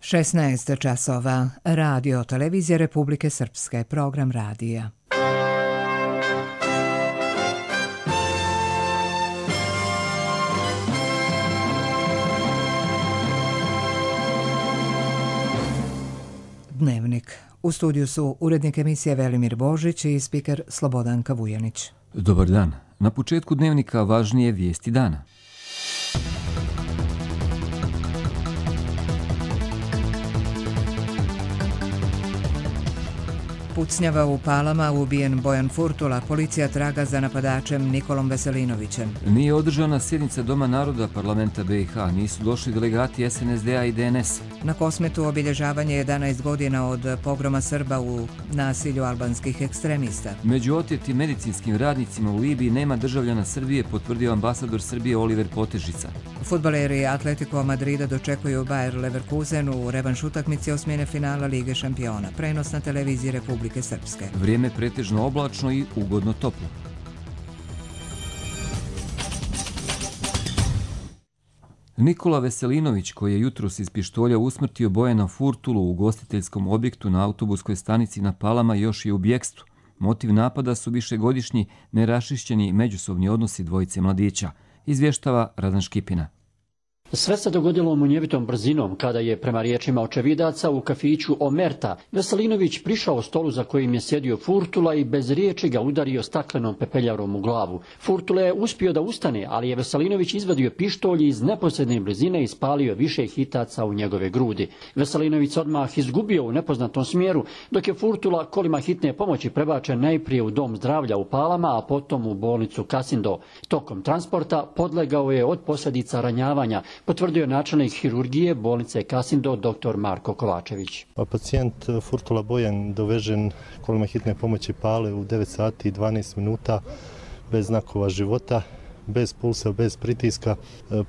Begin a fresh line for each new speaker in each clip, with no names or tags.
16 časova. Radio Televizija Republike Srpske. Program radija. Dnevnik. U studiju su urednik emisije Velimir Božić i spiker Slobodanka Vujanić.
Dobar dan. Na početku dnevnika važnije vijesti dana.
Pucnjava u Palama, ubijen Bojan Furtula, policija traga za napadačem Nikolom Veselinovićem.
Nije održana sjednica Doma naroda parlamenta BiH, nisu došli delegati SNSD-a i DNS.
Na Kosmetu obilježavanje 11 godina od pogroma Srba u nasilju albanskih ekstremista.
Među otjetim medicinskim radnicima u Libiji nema državljana Srbije, potvrdio ambasador Srbije Oliver Potežica.
Fudbaleri Atletico Madrida dočekuju Bayer Leverkusen u revanš utakmici osmine finala Lige šampiona. Prenos na televiziji Republike Srpske.
Vrijeme pretežno oblačno i ugodno toplo. Nikola Veselinović, koji je jutros iz pištolja usmrtio Bojana Furtulu u ugostiteljskom objektu na autobuskoj stanici na Palama, još je u bjekstvu. Motiv napada su višegodišnji neraščišćeni međusobni odnosi dvojice mladića, izvještava Radan Škipina.
Sve se dogodilo munjevitom brzinom kada je, prema riječima očevidaca, u kafiću Omerta Veselinović prišao stolu za kojim je sjedio Furtula i bez riječi ga udario staklenom pepeljarom u glavu. Furtula je uspio da ustane, ali je Veselinović izvadio pištolj i iz neposredne blizine ispalio više hitaca u njegove grudi. Veselinović odmah izgubio u nepoznatom smjeru, dok je Furtula kolima hitne pomoći prebačen najprije u dom zdravlja u Palama, a potom u bolnicu Kasindo. Tokom transporta podlegao je od posljedica ranjavanja, potvrdio načelnik hirurgije bolnice Kasindo dr. Marko Kovačević.
Pacijent Furtula Bojan dovežen kolima hitne pomoći Pale u 9 sati i 12 minuta bez znakova života, bez pulsa, bez pritiska,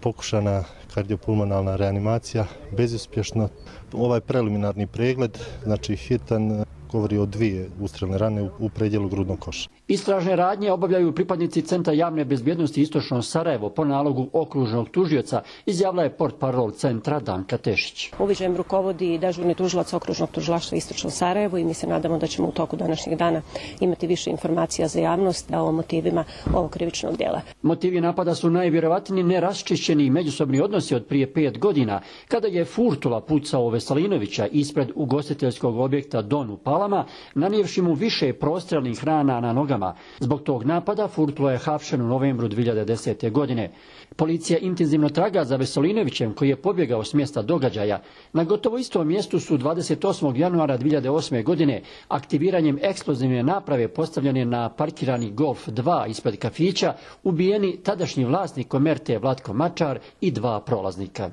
pokušana kardiopulmonalna reanimacija, bezuspješno. Ovaj preliminarni pregled, znači hitan, govori o 2 ustrelne rane u predjelu grudnog koša.
Istražne radnje obavljaju pripadnici Centra javne bezbjednosti Istočno Sarajevo po nalogu okružnog tužioca, izjavila je portparol centra Danka Tešić.
Uviđajem rukovodi dežurni tužilac okružnog tužilaštva Istočno Sarajevo i mi se nadamo da ćemo u toku današnjeg dana imati više informacija za javnost o motivima ovog krivičnog djela. Motivi napada su najvjerovatniji neraščišćeni međusobni odnosi od prije 5 godina, kada je Furtula pucao Veselinovića ispred ugostiteljskog objekta Don u Palama, nanijevši mu više prostrelnih rana na nogama. Zbog tog napada Furtula je hapšen u novembru 2010. godine. Policija intenzivno traga za Veselinovićem, koji je pobjegao s mjesta događaja. Na gotovo istom mjestu su 28. januara 2008. godine aktiviranjem eksplozivne naprave postavljene na parkirani Golf 2 ispred kafića ubijeni tadašnji vlasnik Omerte Vlatko Mačar i 2 prolaznika.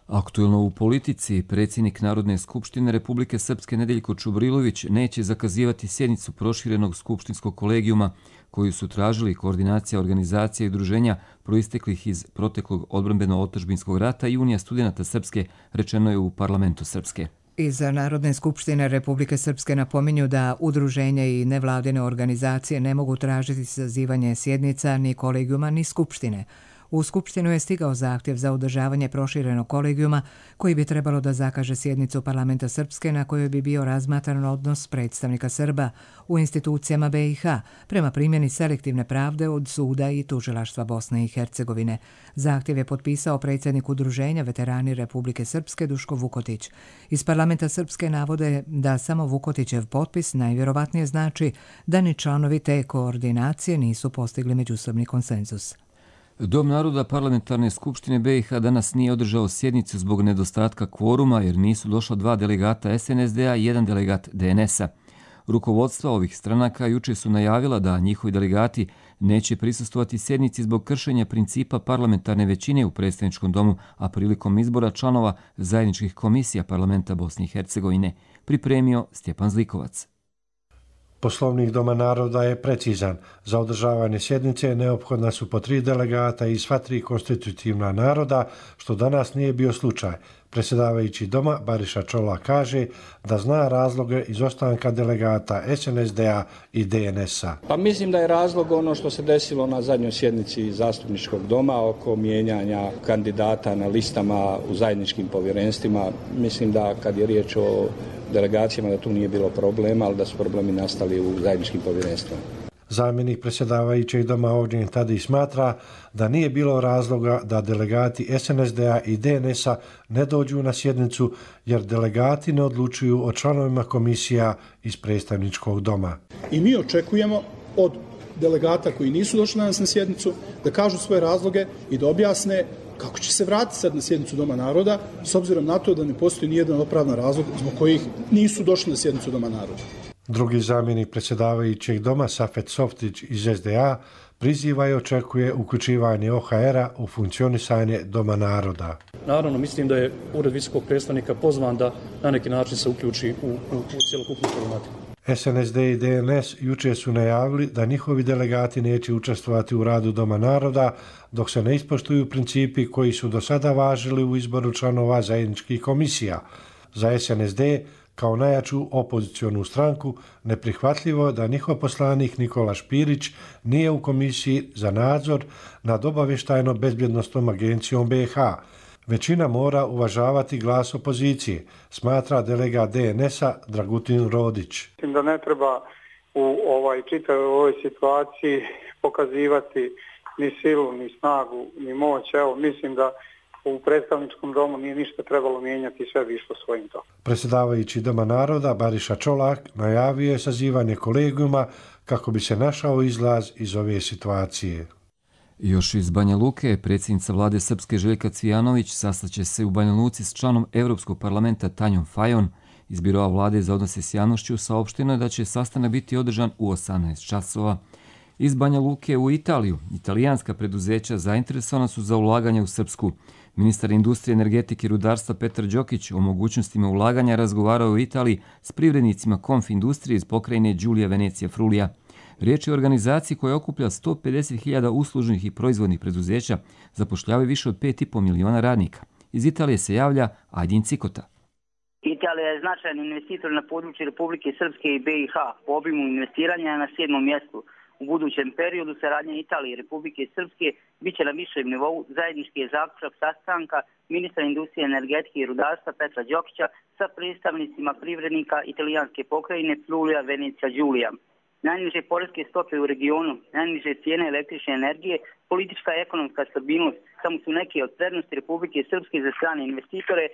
Aktuelno u politici, predsjednik Narodne skupštine Republike Srpske Nedeljko Čubrilović neće zakazivati sjednicu proširenog skupštinskog kolegijuma koju su tražili koordinacija organizacija i udruženja proisteklih iz proteklog odbrambeno-otadžbinskog rata i Unija studenata Srpske, rečeno je u parlamentu Srpske.
Iz Narodne skupštine Republike Srpske napominju da udruženja i nevladine organizacije ne mogu tražiti sazivanje sjednica ni kolegijuma ni skupštine. U Skupštinu je stigao zahtjev za održavanje proširenog kolegijuma koji bi trebalo da zakaže sjednicu parlamenta Srpske na kojoj bi bio razmatran odnos predstavnika Srba u institucijama BiH prema primjeni selektivne pravde od suda i tužilaštva Bosne i Hercegovine. Zahtjev je potpisao predsjednik udruženja Veterani Republike Srpske Duško Vukotić. Iz parlamenta Srpske navode da samo Vukotićev potpis najvjerovatnije znači da ni članovi te koordinacije nisu postigli međusobni konsenzus.
Dom naroda parlamentarne skupštine BiH danas nije održao sjednicu zbog nedostatka kvoruma jer nisu došla 2 delegata SNSD-a i 1 delegat DNS-a. Rukovodstva ovih stranaka juče su najavila da njihovi delegati neće prisustvovati sjednici zbog kršenja principa parlamentarne većine u predstavničkom domu, a prilikom izbora članova zajedničkih komisija parlamenta Bosne i Hercegovine, pripremio Stjepan Zlikovac.
Poslovnik Doma naroda je precizan. Za održavanje sjednice neophodna su po 3 delegata iz sva 3 konstitutivna naroda, što danas nije bio slučaj. Predsjedavajući doma Bariša Čolak kaže da zna razloge izostanka delegata SNSD-a i DNS-a.
Pa mislim da je razlog ono što se desilo na zadnjoj sjednici zastupničkog doma oko mijenjanja kandidata na listama u zajedničkim povjerenstvima. Mislim da kad je riječ o delegacijama da tu nije bilo problema, ali da su problemi nastali u zajedničkim povjerenstvima.
Zamjenik predsjedavajućeg doma Ognjen Tadić smatra da nije bilo razloga da delegati SNSD-a i DNS-a ne dođu na sjednicu jer delegati ne odlučuju o članovima komisija iz predstavničkog doma.
I mi očekujemo od delegata koji nisu došli danas na sjednicu da kažu svoje razloge i da objasne kako će se vratiti sad na sjednicu Doma naroda s obzirom na to da ne postoji nijedan opravdan razlog zbog kojih nisu došli na sjednicu Doma naroda.
Drugi zamjenik predsjedavajućeg doma Safet Softić iz SDA priziva i očekuje uključivanje OHR-a u funkcionisanje Doma naroda.
Naravno, mislim da je Ured visokog predstavnika pozvan da na neki način se uključi u cjelokupnu problematiku.
SNSD i DNS jučer su najavili da njihovi delegati neće učestvovati u radu Doma naroda dok se ne ispoštuju principi koji su do sada važili u izboru članova zajedničkih komisija. Za SNSD kao najjaču opozicionu stranku neprihvatljivo da njihov poslanik Nikola Špirić nije u komisiji za nadzor nad obavještajno-bezbjednostnom agencijom BiH. Većina mora uvažavati glas opozicije, smatra delegat DNS-a Dragutin Rodić.
Mislim da ne treba u čitavoj ovoj situaciji pokazivati ni silu, ni snagu, ni moć. Evo, mislim da u predstavničkom domu nije ništa trebalo mijenjati, sve bi išlo svojim tokom.
Predsjedavajući Doma naroda Bariša Čolak najavio je sazivanje kolegijuma kako bi se našao izlaz iz ove situacije.
Još iz Banja Luke, predsjednica vlade Srpske Željka Cvijanović sastaće se u Banja Luci s članom Europskog parlamenta Tanjom Fajon. Iz Biroa vlade za odnose s javnošću saopšteno je da će sastanak biti održan u 18 časova. Iz Banja Luke u Italiju, italijanska preduzeća zainteresovana su za ulaganje u Srpsku. Ministar industrije, energetike i rudarstva Petar Đokić o mogućnostima ulaganja razgovarao u Italiji s privrednicima Konfindustrije iz pokrajine Giulia Venecija Frulija. Riječ je o organizaciji koja okuplja 150.000 uslužnih i proizvodnih preduzeća, zapošljavaju više od 5,5 miliona radnika. Iz Italije se javlja Ajdin Cikota.
Italija je značajan investitor na području Republike Srpske i BiH. Po obimu investiranja je na 7. mjestu. U budućem periodu saradnja Italije i Republike Srpske bit će na višem nivou. Zajednički je zaključak sastanka ministra industrije, energetike i rudarstva Petra Đokića sa predstavnicima privrednika italijanske pokrajine Friulija Venecija Giulia. Najniže poreske stope u regionu, najniže cijene električne energije, politička i ekonomska stabilnost samo su neke od prednosti Republike Srpske za strane investitore,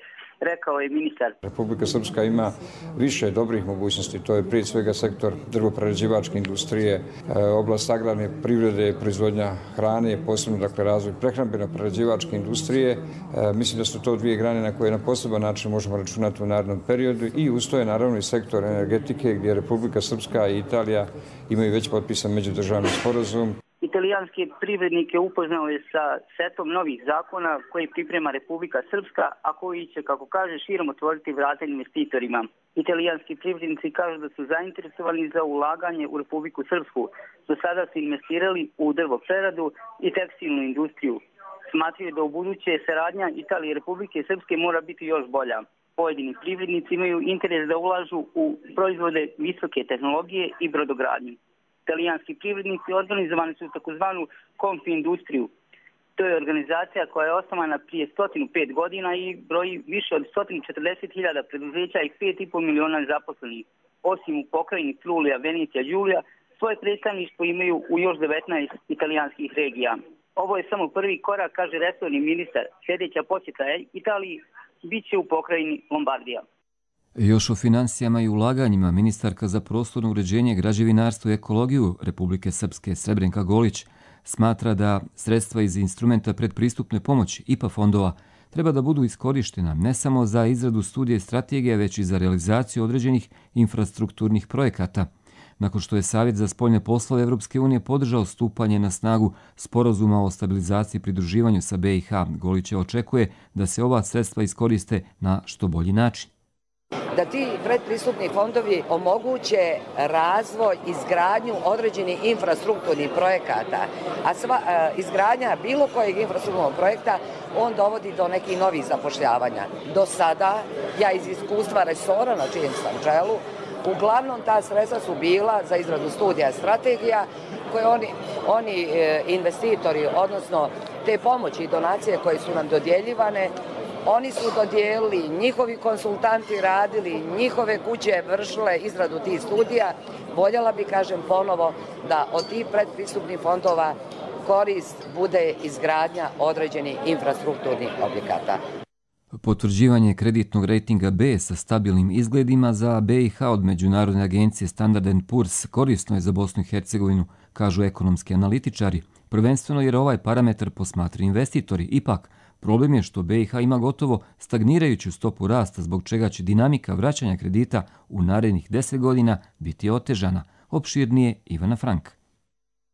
rekao je ministar.
Republika Srpska ima više dobrih mogućnosti, to je prije svega sektor drvoprerađivačke industrije, oblast agrarne privrede, proizvodnja hrane, posebno dakle razvoj prehrambeno-prerađivačke industrije. Mislim da su to dvije grane na koje na poseban način možemo računati u narednom periodu i uz to je naravno i sektor energetike gdje Republika Srpska i Italija imaju već potpisan međudržavni sporazum.
Italijanske privrednike upoznao je sa setom novih zakona koji priprema Republika Srpska, a koji će, kako kaže, širom otvoriti vrata investitorima. Italijanski privrednici kažu da su zainteresovani za ulaganje u Republiku Srpsku. Do sada su investirali u drvopreradu i tekstilnu industriju. Smatraju da u buduće saradnja Italije i Republike Srpske mora biti još bolja. Pojedini privrednici imaju interes da ulažu u proizvode visoke tehnologije i brodogradnju. Italijanski privrednici organizovani su u takozvanu Konfindustriju. To je organizacija koja je osnovana prije 105 godina i broji više od 140.000 preduzeća i 5,5 miliona zaposlenih. Osim u pokrajini Friulija Venecija Giulia, svoje predstavništvo imaju u još 19 italijanskih regija. Ovo je samo prvi korak, kaže resorni ministar. Sljedeća posjeta Italiji bit će u pokrajini Lombardija.
Još o financijama i ulaganjima ministarka za prostorno uređenje, građevinarstvo i ekologiju Republike Srpske Srebrenka Golić smatra da sredstva iz instrumenta predpristupne pomoći IPA fondova treba da budu iskorištena ne samo za izradu studije strategije, već i za realizaciju određenih infrastrukturnih projekata. Nakon što je Savjet za spoljne poslove Evropske unije podržao stupanje na snagu sporazuma o stabilizaciji i pridruživanju sa BiH, Golić očekuje da se ova sredstva iskoriste na što bolji način.
da ti predpristupni fondovi omoguće razvoj, izgradnju određenih infrastrukturnih projekata, a izgradnja bilo kojeg infrastrukturnog projekta on dovodi do nekih novih zapošljavanja. Do sada, ja iz iskustva resora na čijem sam čelu, uglavnom ta sredstva su bila za izradu studija strategija koje oni investitori, odnosno te pomoći i donacije koje su nam dodjeljivane, oni su dodijelili, njihovi konsultanti radili, njihove kuće vršile izradu tih studija. Voljela bi, kažem ponovo, da od tih predpristupnih fondova korist bude izgradnja određenih infrastrukturnih objekata.
Potvrđivanje kreditnog rejtinga B sa stabilnim izgledima za BiH od Međunarodne agencije Standard & Poor's korisno je za Bosnu i Hercegovinu, kažu ekonomski analitičari, prvenstveno jer ovaj parametar posmatraju investitori. Ipak, problem je što BiH ima gotovo stagnirajuću stopu rasta, zbog čega će dinamika vraćanja kredita u narednih 10 godina biti otežana. Opširnije Ivana Frank.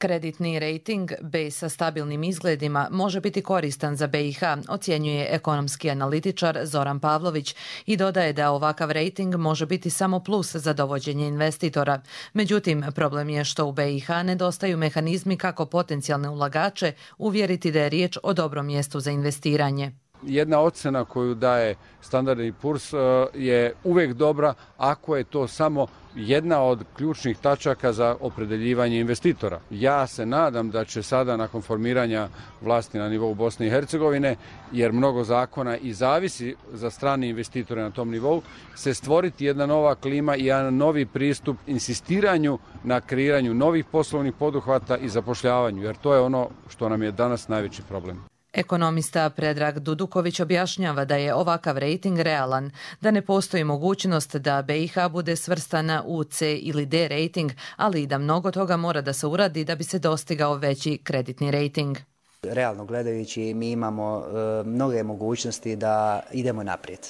Kreditni rejting B sa stabilnim izgledima može biti koristan za BiH, ocjenjuje ekonomski analitičar Zoran Pavlović i dodaje da ovakav rejting može biti samo plus za dovođenje investitora. Međutim, problem je što u BiH nedostaju mehanizmi kako potencijalne ulagače uvjeriti da je riječ o dobrom mjestu za investiranje.
Jedna ocjena koju daje Standard & Poor's je uvijek dobra ako je to samo jedna od ključnih tačaka za opredeljivanje investitora. Ja se nadam da će sada nakon formiranja vlasti na nivou Bosne i Hercegovine, jer mnogo zakona i zavisi za strane investitore na tom nivou, se stvoriti jedna nova klima i jedan novi pristup insistiranju na kreiranju novih poslovnih poduhvata i zapošljavanju, jer to je ono što nam je danas najveći problem.
Ekonomista Predrag Duduković objašnjava da je ovakav rejting realan, da ne postoji mogućnost da BiH bude svrstana u C ili D rejting, ali i da mnogo toga mora da se uradi da bi se dostigao veći kreditni rejting.
Realno gledajući, mi imamo mnoge mogućnosti da idemo naprijed.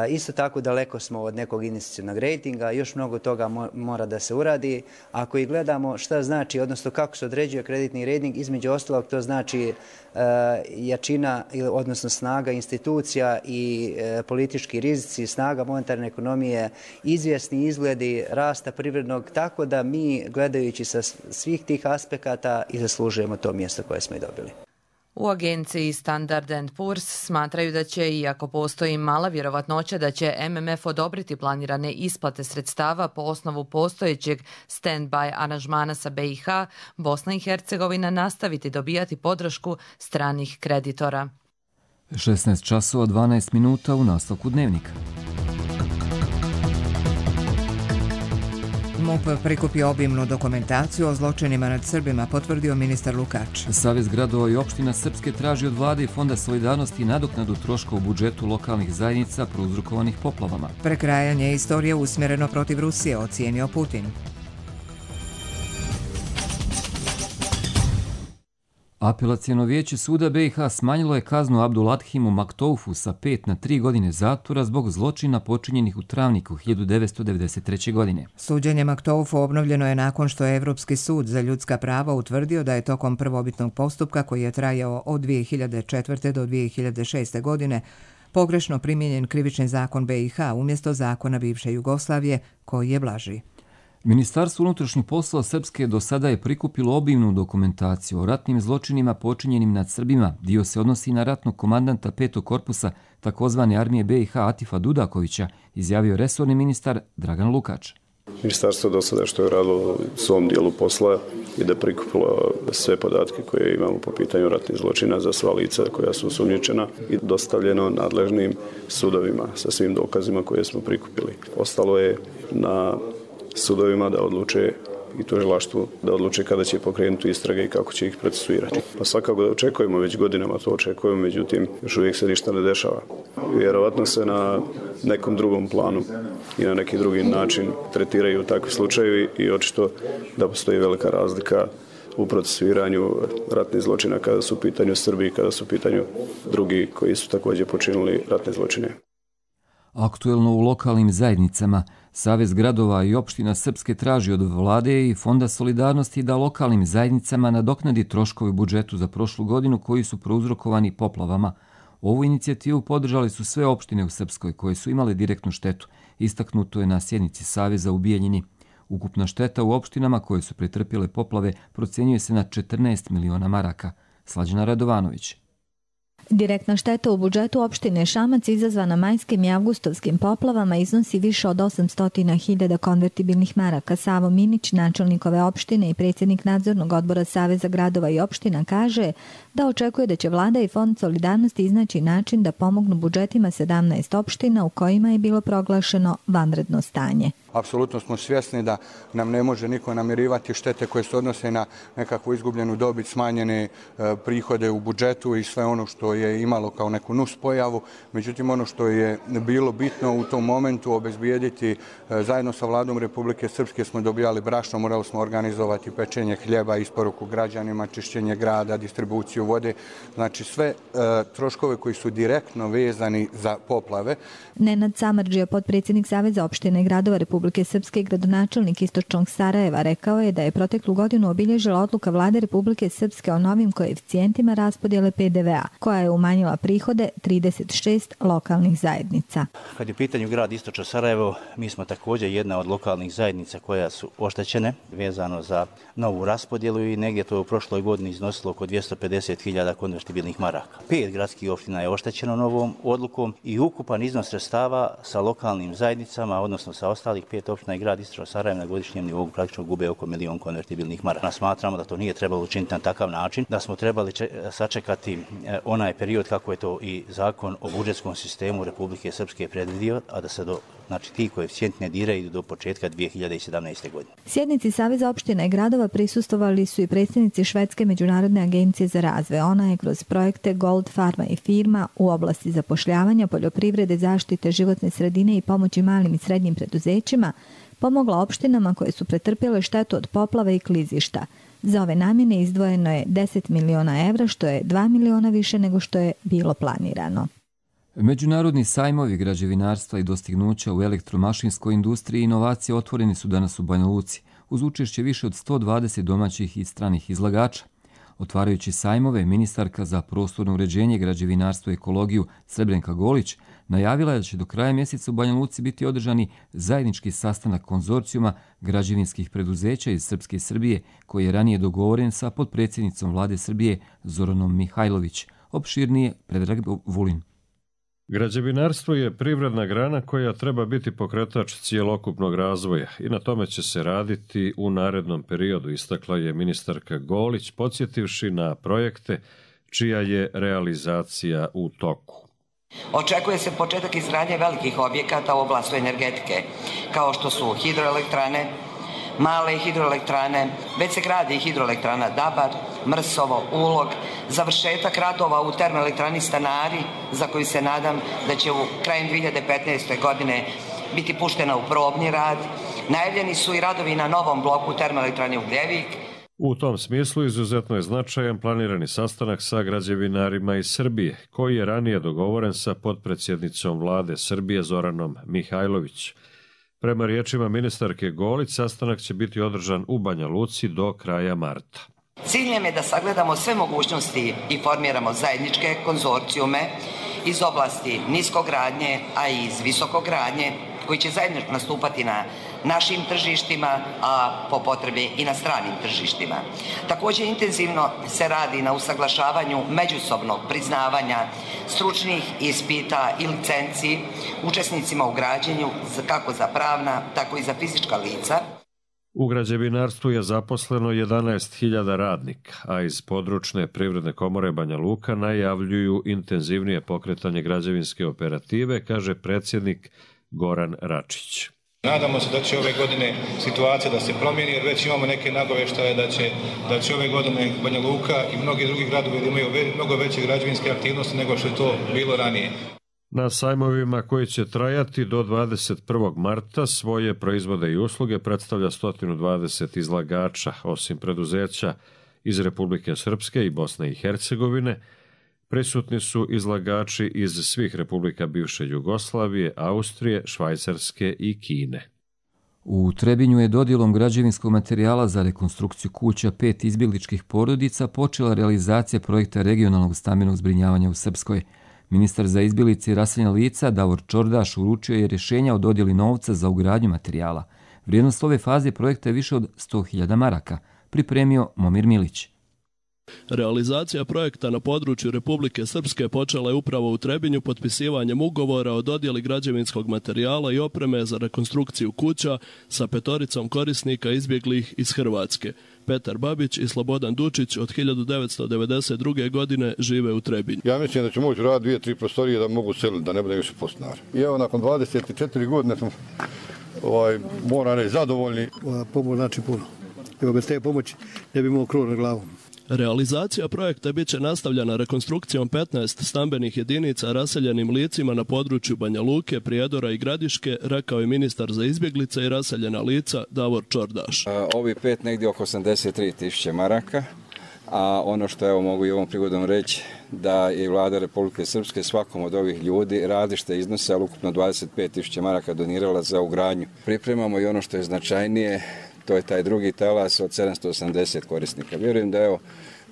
Isto tako daleko smo od nekog investicionog rejtinga, još mnogo toga mora da se uradi. Ako i gledamo šta znači, odnosno kako se određuje kreditni rejting, između ostalog to znači jačina, odnosno snaga institucija i politički rizici, snaga monetarne ekonomije, izvjesni izgledi rasta privrednog, tako da mi gledajući sa svih tih aspekata i zaslužujemo to mjesto koje smo i dobili.
U agenciji Standard & Poor's smatraju da će, iako postoji mala vjerovatnoća da će MMF odobriti planirane isplate sredstava po osnovu postojećeg stand-by aranžmana sa BiH, Bosna i Hercegovina nastaviti dobijati podršku stranih kreditora.
16 časova 12 minuta u nastavku dnevnika.
MUP prikupio obimnu dokumentaciju o zločinima nad Srbima, potvrdio ministar Lukač.
Savez gradova i opština Srpske traži od vlade i Fonda solidarnosti nadoknadu troška u budžetu lokalnih zajednica prouzrokovanih poplavama.
Prekrajanje istorije usmjereno protiv Rusije, ocijenio Putin.
Apelacijono vijeće suda BiH smanjilo je kaznu Abdulathimu Maktoufu sa 5 na 3 godine zatvora zbog zločina počinjenih u Travniku 1993. godine.
Suđenje Maktoufu obnovljeno je nakon što je Evropski sud za ljudska prava utvrdio da je tokom prvobitnog postupka koji je trajao od 2004. do 2006. godine pogrešno primijenjen krivični zakon BiH umjesto zakona bivše Jugoslavije koji je blaži.
Ministarstvo unutrašnjih poslova Srpske do sada je prikupilo obimnu dokumentaciju o ratnim zločinima počinjenim nad Srbima. Dio se odnosi na ratnog komandanta 5. korpusa takozvane armije BiH Atifa Dudakovića, izjavio resorni ministar Dragan Lukač.
Ministarstvo do sada što je radilo u svom dijelu posla i da prikupilo sve podatke koje imamo po pitanju ratnih zločina za sva lica koja su osumnjičena i dostavljeno nadležnim sudovima sa svim dokazima koje smo prikupili. Ostalo je na sudovima da odluče i tužilaštvu da odluče kada će pokrenuti istrage i kako će ih procesuirati. Pa svakako da očekujemo, već godinama to očekujemo, međutim još uvijek se ništa ne dešava. Vjerovatno se na nekom drugom planu i na neki drugi način tretiraju takvi slučajevi i očito da postoji velika razlika u procesuiranju ratnih zločina kada su u pitanju Srbi i kada su u pitanju drugi koji su također počinili ratne zločine.
Aktuelno u lokalnim zajednicama, Savez gradova i opština Srpske traži od vlade i Fonda solidarnosti da lokalnim zajednicama nadoknadi troškovi u budžetu za prošlu godinu koji su prouzrokovani poplavama. Ovu inicijativu podržali su sve opštine u Srpskoj koje su imale direktnu štetu, istaknuto je na sjednici Saveza u Bijeljini. Ukupna šteta u opštinama koje su pretrpjele poplave procjenjuje se na 14 miliona maraka. Slađana Radovanović.
Direktna šteta u budžetu opštine Šamac izazvana majskim i avgustovskim poplavama iznosi više od 800.000 konvertibilnih maraka. Savo Minić, načelnik ove opštine i predsjednik nadzornog odbora Saveza gradova i opština, kaže da očekuje da će vlada i Fond solidarnosti iznaći način da pomognu budžetima 17 opština u kojima je bilo proglašeno vanredno stanje.
Apsolutno smo svjesni da nam ne može niko namirivati štete koje se odnose na nekakvu izgubljenu dobit, smanjene prihode u budžetu i sve ono što je imalo kao neku nuspojavu. Međutim, ono što je bilo bitno u tom momentu obezbijediti zajedno sa vladom Republike Srpske smo dobijali brašno, morali smo organizovati pečenje hljeba, isporuku građanima, čišćenje grada, distribuciju vode. Znači sve troškove koji su direktno vezani za poplave.
Nenad Samardžija, potpredsjednik Saveza opštine i gradova Republike Srpske i gradonačelnik Istočnog Sarajeva, rekao je da je proteklu godinu obilježila odluka vlade Republike Srpske o novim koeficijentima raspodjele PDV-a, koja je umanjila prihode 36 lokalnih zajednica.
Kad je u pitanju grad Istočno Sarajevo, mi smo također jedna od lokalnih zajednica koja su oštećene vezano za novu raspodjelu i negdje to je u prošloj godini iznosilo oko 250.000 konvertibilnih maraka. 5 gradskih opština je oštećeno novom odlukom i ukupan iznos sredstava sa lokalnim zajednicama, odnosno sa ostalih 5 opština i grad Istočno Sarajevo na godišnjem nivou praktično gube oko 1 milion konvertibilnih maraka. Smatramo da to nije trebalo učiniti na takav način, da smo trebali sačekati onaj period kako je to i zakon o budžetskom sistemu Republike Srpske predvidio, a da se ti koeficijenti ne diraju do početka 2017. godine.
Sjednici Saveza opština i gradova prisustvovali su i predsjednici Švedske međunarodne agencije za razvoj. Ona je kroz projekte Gold Farma i firma u oblasti zapošljavanja, poljoprivrede, zaštite životne sredine i pomoći malim i srednjim preduzećima pomogla opštinama koje su pretrpjele štetu od poplave i klizišta. Za ove namjene izdvojeno je 10 miliona evra, što je 2 miliona više nego što je bilo planirano.
Međunarodni sajmovi građevinarstva i dostignuća u elektromašinskoj industriji i inovacije otvoreni su danas u Banja Luci, uz učešće više od 120 domaćih i stranih izlagača. Otvarajući sajmove, ministarka za prostorno uređenje, građevinarstvo i ekologiju Srebrenka Golić najavila je da će do kraja mjeseca u Banja Luci biti održani zajednički sastanak konzorcijuma građevinskih preduzeća iz Srpske i Srbije, koji je ranije dogovoren sa potpredsjednicom vlade Srbije Zoranom Mihajlović. Opširnije Predrag Vulin.
Građevinarstvo je privredna grana koja treba biti pokretač cijelokupnog razvoja i na tome će se raditi u narednom periodu, istakla je ministarka Golić, podsjetivši na projekte čija je realizacija u toku.
Očekuje se početak izgradnje velikih objekata u oblasti energetike, kao što su hidroelektrane, male hidroelektrane, već se gradi hidroelektrana Dabar, Mrsovo, Ulog, završetak radova u termoelektrani Stanari, za koju se nadam da će u krajem 2015. godine biti puštena u probni rad. Najavljeni su i radovi na novom bloku termoelektrane Ugljevik.
U tom smislu izuzetno je značajan planirani sastanak sa građevinarima iz Srbije, koji je ranije dogovoren sa potpredsjednicom vlade Srbije Zoranom Mihajlović. Prema riječima ministarke Golić, sastanak će biti održan u Banja Luci do kraja marta.
Cilj je da sagledamo sve mogućnosti i formiramo zajedničke konzorcijume iz oblasti niskogradnje, a i iz visokogradnje, koji će zajedno nastupati na našim tržištima, a po potrebi i na stranim tržištima. Također intenzivno se radi na usaglašavanju međusobnog priznavanja stručnih ispita i licenci učesnicima u građenju kako za pravna, tako i za fizička lica.
U građevinarstvu je zaposleno 11.000 radnika, a iz područne privredne komore Banja Luka najavljuju intenzivnije pokretanje građevinske operative, kaže predsjednik Goran Račić.
Nadamo se da će ove godine situacija da se promijeni, jer već imamo neke nagoveštaje da će ove godine Banja Luka i mnogi drugi gradovi da imaju mnogo veće građevinske aktivnosti nego što je to bilo ranije.
Na sajmovima koji će trajati do 21. marta svoje proizvode i usluge predstavlja 120 izlagača, osim preduzeća iz Republike Srpske i Bosne i Hercegovine. Prisutni su izlagači iz svih republika bivše Jugoslavije, Austrije, Švajcarske i Kine.
U Trebinju je dodjelom građevinskog materijala za rekonstrukciju kuća 5 izbjegličkih porodica počela realizacija projekta regionalnog stambenog zbrinjavanja u Srpskoj. Ministar za izbjeglice i raseljena lica Davor Čordaš uručio je rješenja o dodjeli novca za ugradnju materijala. Vrijednost ove faze projekta je više od 100.000 maraka, pripremio Momir Milić.
Realizacija projekta na području Republike Srpske počela je upravo u Trebinju potpisivanjem ugovora o dodjeli građevinskog materijala i opreme za rekonstrukciju kuća sa 5 korisnika izbjeglih iz Hrvatske. Petar Babić i Slobodan Dučić od 1992. godine žive u Trebinju.
Ja mislim da ću moći raditi 2-3 prostorije da mogu seliti, da ne budem više podstanar. I evo, nakon 24 godine smo moram reći zadovoljni.
Pomoć znači puno. Evo, bez te pomoći ne bi imao krov na glavom.
Realizacija projekta bit će nastavljena rekonstrukcijom 15 stambenih jedinica raseljenim licima na području Banja Luke, Prijedora i Gradiške, rekao je ministar za izbjeglice i raseljena lica Davor Čordaš.
Ovi 5 negdje oko 83.000 maraka, a ono što evo mogu i ovom prigodom reći da je vlada Republike Srpske svakom od ovih ljudi različite iznose, ali ukupno 25.000 maraka donirala za ugradnju. Pripremamo i ono što je značajnije, to je taj drugi talas od 780 korisnika. Vjerujem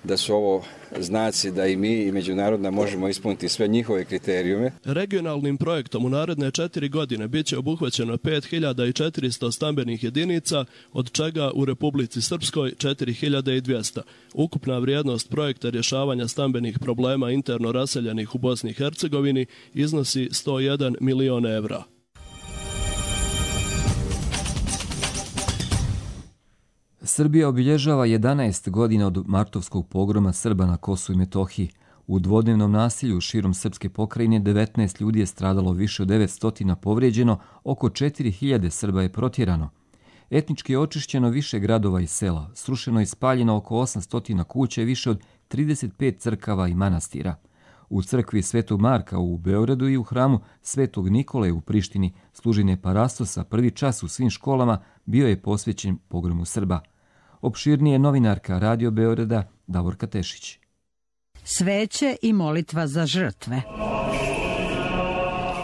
da su ovo znaci da i mi i međunarodna možemo ispuniti sve njihove kriterijume.
Regionalnim projektom u naredne 4 godine bit će obuhvaćeno 5.400 stambenih jedinica, od čega u Republici Srpskoj 4.200. Ukupna vrijednost projekta rješavanja stambenih problema interno raseljenih u Bosni i Hercegovini iznosi 101 milion evra.
Srbija obilježava 11 godina od martovskog pogroma Srba na Kosovu i Metohiji. U dvodnevnom nasilju širom srpske pokrajine 19 ljudi je stradalo, više od 900 povrijeđeno, oko 4.000 Srba je protjerano. Etnički je očišćeno više gradova i sela, srušeno i spaljeno oko 800 kuća i više od 35 crkava i manastira. U crkvi Svetog Marka u Beogradu i u hramu Svetog Nikole u Prištini služenje parastosa prvi čas u svim školama bio je posvećen pogromu Srba. Opširnije novinarka Radio Beograda Davorka Tešić.
Sveće i molitva za žrtve.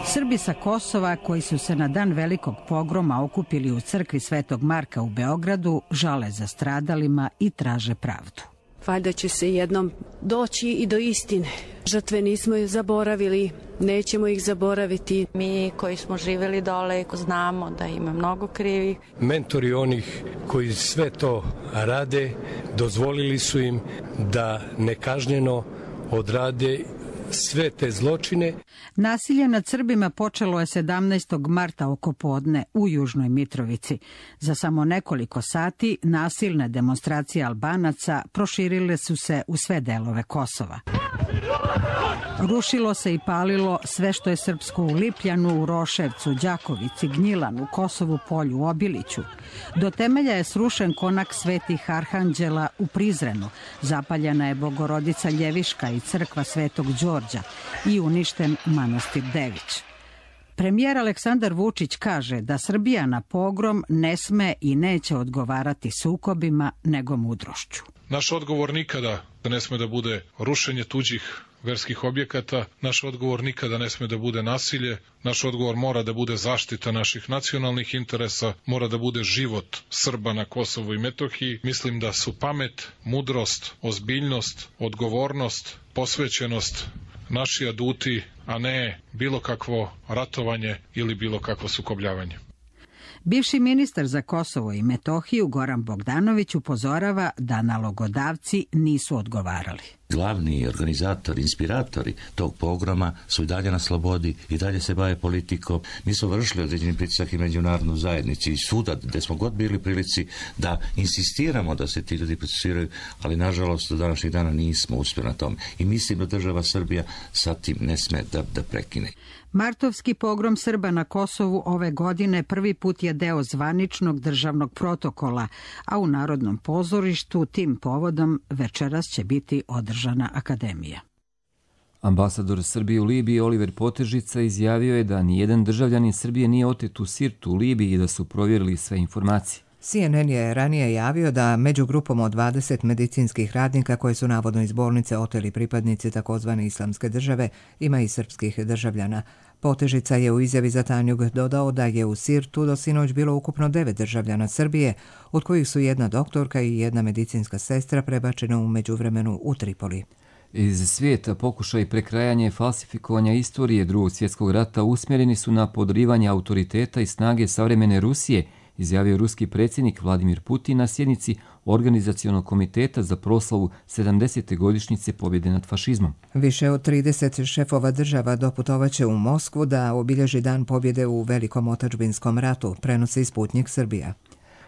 Srbi sa Kosova koji su se na dan velikog pogroma okupili u crkvi Svetog Marka u Beogradu žale za stradalima i traže pravdu.
Valjda će se jednom doći i do istine. Žrtve nismo zaboravili, nećemo ih zaboraviti.
Mi koji smo živjeli dole znamo da ima mnogo krivih.
Mentori onih koji sve to rade dozvolili su im da nekažnjeno odrade sve te zločine.
Nasilje nad Srbima počelo je 17. marta oko podne u Južnoj Mitrovici. Za samo nekoliko sati nasilne demonstracije Albanaca proširile su se u sve delove Kosova. Rušilo se i palilo sve što je srpsko u Lipljanu, u Roševcu, Đakovici, Gnjilanu, Kosovu Polju, Obiliću. Do temelja je srušen konak Svetih Arhanđela u Prizrenu, zapaljena je Bogorodica Ljeviška i crkva Svetog Đorđa i uništen manastir Dević. Premijer Aleksandar Vučić kaže da Srbija na pogrom ne sme i neće odgovarati sukobima, nego mudrošću.
Naš odgovor nikada ne sme da bude rušenje tuđih verskih objekata, naš odgovor nikada ne sme da bude nasilje, naš odgovor mora da bude zaštita naših nacionalnih interesa, mora da bude život Srba na Kosovu i Metohiji. Mislim da su pamet, mudrost, ozbiljnost, odgovornost, posvećenost naši aduti, a ne bilo kakvo ratovanje ili bilo kakvo sukobljavanje.
Bivši ministar za Kosovo i Metohiju Goran Bogdanović upozorava da nalogodavci nisu odgovarali.
Glavni organizatori, inspiratori tog pogroma su i dalje na slobodi, i dalje se bave politikom. Mi smo vršili određeni pritisak i međunarodnu zajednici i svuda gde smo god bili prilici da insistiramo da se ti ljudi procesuiraju, ali nažalost do današnjih dana nismo uspjeli na tome. I mislim da država Srbija sa tim ne sme da prekine.
Martovski pogrom Srba na Kosovu ove godine prvi put je deo zvaničnog državnog protokola, a u Narodnom pozorištu tim povodom večeras će biti održana akademija.
Ambasador Srbije u Libiji Oliver Potežica izjavio je da nijedan državljanin Srbije nije otet u Sirtu u Libiji i da su provjerili sve informacije.
CNN je ranije javio da među grupom od 20 medicinskih radnika koje su navodno iz bolnice oteli pripadnici takozvane islamske države ima i srpskih državljana. Potežica je u izjavi za Tanjug dodao da je u Sirtu do sinoć bilo ukupno 9 državljana Srbije, od kojih su jedna doktorka i jedna medicinska sestra prebačena u međuvremenu u Tripoli.
Iz svijeta pokušaj prekrajanja i falsifikovanja istorije Drugog svjetskog rata usmjereni su na podrivanje autoriteta i snage savremene Rusije, izjavio ruski predsjednik Vladimir Putin na sjednici Organizacionog komiteta za proslavu 70. godišnjice pobjede nad fašizmom.
Više od 30 šefova država doputovaće u Moskvu da obilježi dan pobjede u Velikom otadžbinskom ratu, prenosi Sputnik Srbija.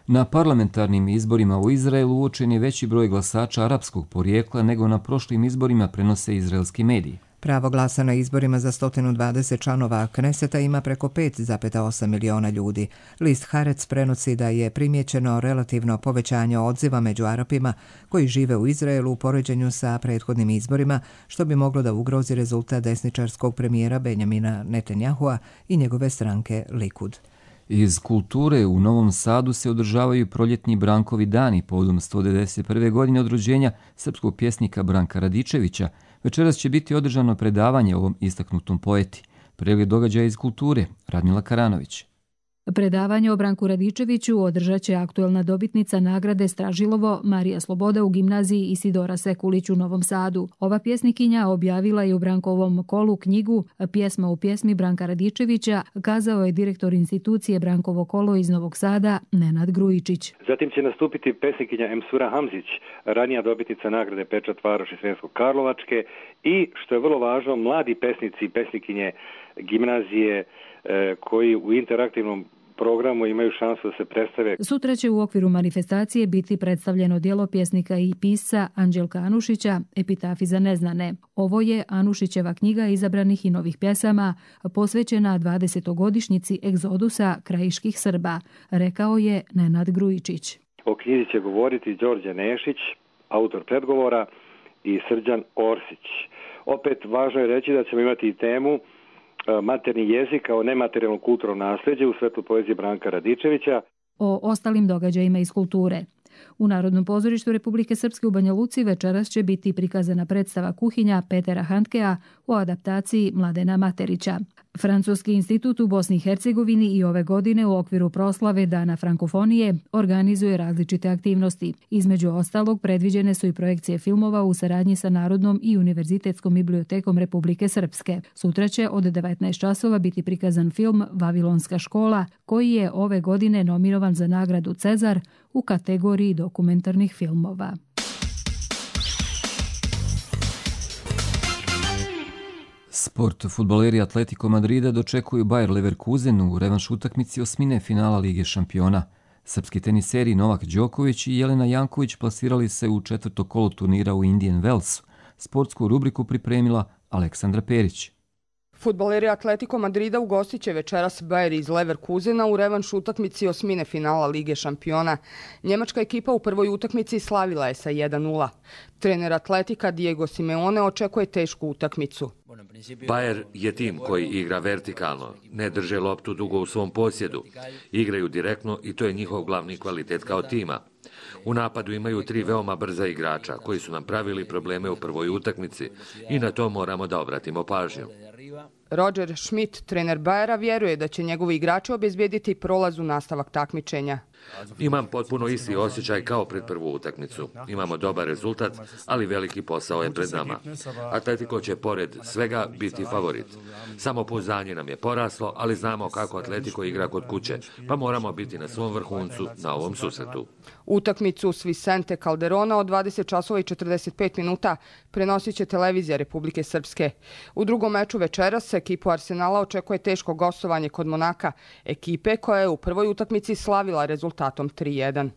Na parlamentarnim izborima u Izraelu uočen je veći broj glasača arapskog porijekla nego na prošlim izborima, prenose izraelski mediji.
Pravo glasa na izborima za 120 članova Kneseta ima preko 5,8 miliona ljudi. List Haaretz prenosi da je primijećeno relativno povećanje odziva među Arapima koji žive u Izraelu u poređenju sa prethodnim izborima, što bi moglo da ugrozi rezultat desničarskog premijera Benjamina Netanjahua i njegove stranke Likud.
Iz kulture u Novom Sadu se održavaju proljetni Brankovi dani povodom 191. godine od rođenja srpskog pjesnika Branka Radičevića. Večeras će biti održano predavanje ovom istaknutom poeti. Pregled događaja iz kulture, Radmila Karanović.
Predavanje o Branku Radičeviću održat će aktuelna dobitnica nagrade Stražilovo Marija Sloboda u gimnaziji Isidora Sekulić u Novom Sadu. Ova pjesnikinja objavila je u Brankovom kolu knjigu Pjesma u pjesmi Branka Radičevića, kazao je direktor institucije Brankovo kolo iz Novog Sada Nenad Grujičić.
Zatim će nastupiti pesnikinja Emsura Hamzić, ranija dobitnica nagrade Pečat Varoši Sremsko-Karlovačke i, što je vrlo važno, mladi pesnici i pesnikinje gimnazije koji u interaktivnom programu imaju šansu da se predstave.
Sutra će u okviru manifestacije biti predstavljeno djelo pjesnika i pisca Anđelka Anušića Epitafi za neznane. Ovo je Anušićeva knjiga izabranih i novih pjesama posvećena 20. egzodusa krajiških Srba, rekao je Nenad Grujičić.
O knjizi će govoriti Đorđe Nešić, autor predgovora, i Srđan Orsić. Opet važno je reći da ćemo imati i temu materni jezik kao nematerijalno kulturno nasljeđe u svetlu poezije Branka Radičevića.
O ostalim događajima iz kulture. U Narodnom pozorištu Republike Srpske u Banja Luci večeras će biti prikazana predstava Kuhinja Petera Handkea u adaptaciji Mladena Materića. Francuski institut u Bosni i Hercegovini i ove godine u okviru proslave Dana frankofonije organizuje različite aktivnosti. Između ostalog predviđene su i projekcije filmova u saradnji sa Narodnom i Univerzitetskom bibliotekom Republike Srpske. Sutra će od 19 časova biti prikazan film Vavilonska škola, koji je ove godine nominovan za nagradu Cezar u kategoriji dokumentarnih filmova.
Sport. Fudbaleri Atletico Madrida dočekuju Bayer Leverkusen u revanš utakmici osmine finala Lige šampiona. Srpski teniseri Novak Đoković i Jelena Janković plasirali se u četvrto kolo turnira u Indian Wellsu. Sportsku rubriku pripremila Aleksandra Perić.
Fudbaleri Atletico Madrida ugostit će večeras Bayer iz Leverkusena u revanš utakmici osmine finala Lige šampiona. Njemačka ekipa u prvoj utakmici slavila je sa 1:0. Trener Atletika Diego Simeone očekuje tešku utakmicu.
Bayer je tim koji igra vertikalno, ne drže loptu dugo u svom posjedu, igraju direktno i to je njihov glavni kvalitet kao tima. U napadu imaju 3 veoma brza igrača koji su nam pravili probleme u prvoj utakmici i na to moramo da obratimo pažnju.
Roger Schmidt, trener Bayera, vjeruje da će njegovi igrači obezbijediti prolaz u nastavak takmičenja.
Imam potpuno isti osjećaj kao pred prvu utakmicu. Imamo dobar rezultat, ali veliki posao je pred nama. Atletico će pored svega biti favorit. Samopouzdanje nam je poraslo, ali znamo kako Atletico igra kod kuće, pa moramo biti na svom vrhuncu na ovom susretu.
Utakmicu s Vicente Calderona od 20 časova i 45 minuta prenosit će televizija Republike Srpske. U drugom meču večeras ekipu Arsenala očekuje teško gostovanje kod Monaka, ekipe koja je u prvoj utakmici slavila rezultatom 3:1.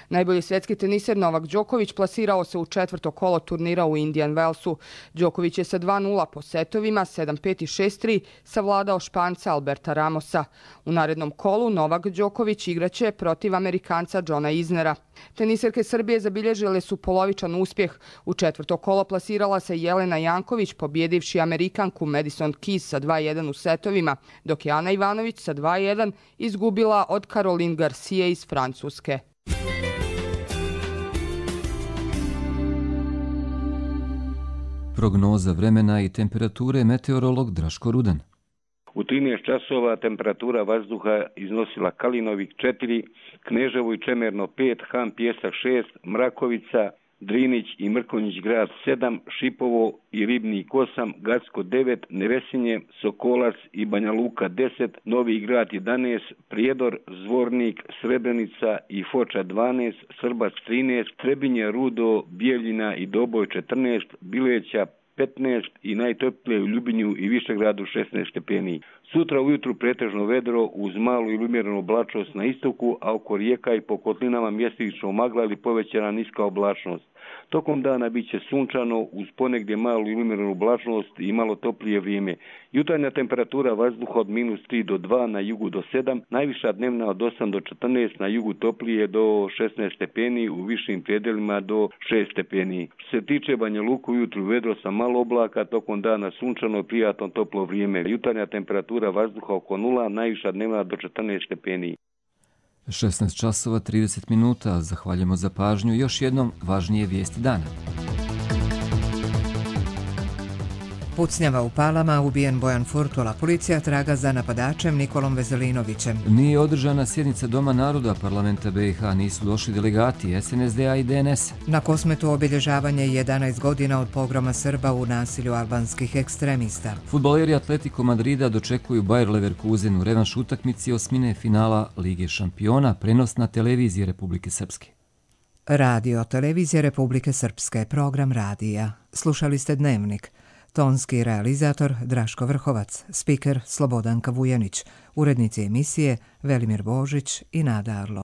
Najbolji svjetski teniser Novak Đoković plasirao se u četvrto kolo turnira u Indian Wellsu. Đoković je sa 2:0 po setovima, 7-5 i 6-3 savladao Španca Alberta Ramosa. U narednom kolu Novak Đoković igraće protiv Amerikanca Johna Isnera. Teniserke Srbije zabilježile su polovičan uspjeh. U četvrto kolo plasirala se Jelena Janković, pobjedivši Amerikanku Madison Keys sa 2:1 u setovima, dok je Ana Ivanović sa 2:1 izgubila od Caroline Garcia iz Francuske.
Prognoza vremena i temperature, meteorolog Draško Rudan.
U 13 časova temperatura vazduha iznosila Kalinovik 4, Kneževo i Čemerno 5, Han Pjesak 6, Mrakovica Drinić i Mrkonjić grad 7, Šipovo i Ribnik 8, Gacko 9, Nevesinje, Sokolac i Banja Luka 10, Novi grad 11, Prijedor, Zvornik, Srebrenica i Foča 12, Srbac 13, Trebinje, Rudo, Bijeljina i Doboj 14, Bileća 15 i najtoplije u Ljubinju i Višegradu 16 stepeni. Sutra ujutru pretežno vedro uz malu ili umjerenu oblačnost na istoku, a oko rijeka i po kotlinama mjestimično magla ili povećana niska oblačnost. Tokom dana bit će sunčano uz ponegdje malu ili umjerenu oblačnost i malo toplije vrijeme. Jutarnja temperatura vazduha od -3 do 2, na jugu do 7, najviša dnevna od 8 do 14, na jugu toplije do 16 stepeni, u višim predelima do 6 stepeni. Što se tiče Banja Luku, ujutru vedro sa malo oblaka, tokom dana sunčano, prijatno toplo vrijeme. Jutarnja temperatura vazduha oko 0, najviša dnevna do 14 stepeni.
16 časova 30 minuta. Zahvaljujemo za pažnju. Još jednom važnije vijesti dana.
Pucnjava u Palama, ubijen Bojan Furtula. Policija traga za napadačem Nikolom Vezelinovićem.
Nije održana sjednica Doma naroda parlamenta BiH, nisu došli delegati SNSD-a i DNS.
Na Kosmetu obilježavanje 11 godina od pogroma Srba u nasilju albanskih ekstremista.
Fudbaleri Atletico Madrida dočekuju Bayer Leverkusen u revanš utakmici osmine finala Lige šampiona, prenos na televiziji Republike Srpske.
Radio televizije Republike Srpske, program radija. Slušali ste Dnevnik. Tonski realizator Draško Vrhovac, spiker Slobodanka Vujanić, urednici emisije Velimir Božić i Nada Arlo.